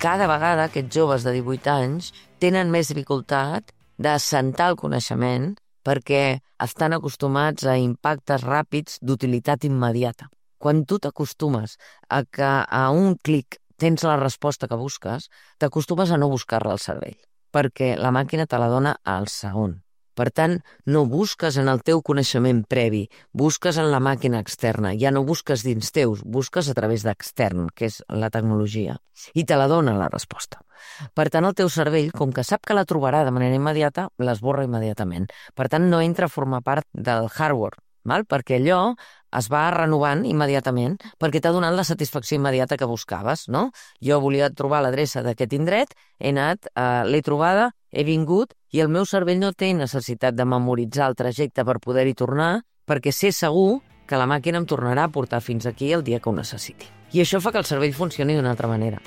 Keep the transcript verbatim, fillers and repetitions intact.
cada vegada aquests joves de divuit anys tenen més dificultat d'assentar el coneixement perquè estan acostumats a impactes ràpids d'utilitat immediata. Quan tu t'acostumes a que a un clic tens la resposta que busques, t'acostumes a no buscar-la al cervell, perquè la màquina te la dona al segon. Per tant, no busques en el teu coneixement previ, busques en la màquina externa, ja no busques dins teus, busques a través d'extern, que és la tecnologia, i te la dona la resposta. Per tant, el teu cervell, com que sap que la trobarà de manera immediata, l'esborra immediatament. Per tant, no entra a formar part del hardware, val? Perquè allò es va renovant immediatament perquè t'ha donat la satisfacció immediata que buscaves, no? Jo volia trobar l'adreça d'aquest indret, he anat, eh, l'he trobada, he vingut i el meu cervell no té necessitat de memoritzar el trajecte per poder-hi tornar perquè sé segur que la màquina em tornarà a portar fins aquí el dia que ho necessiti. I això fa que el cervell funcioni d'una altra manera.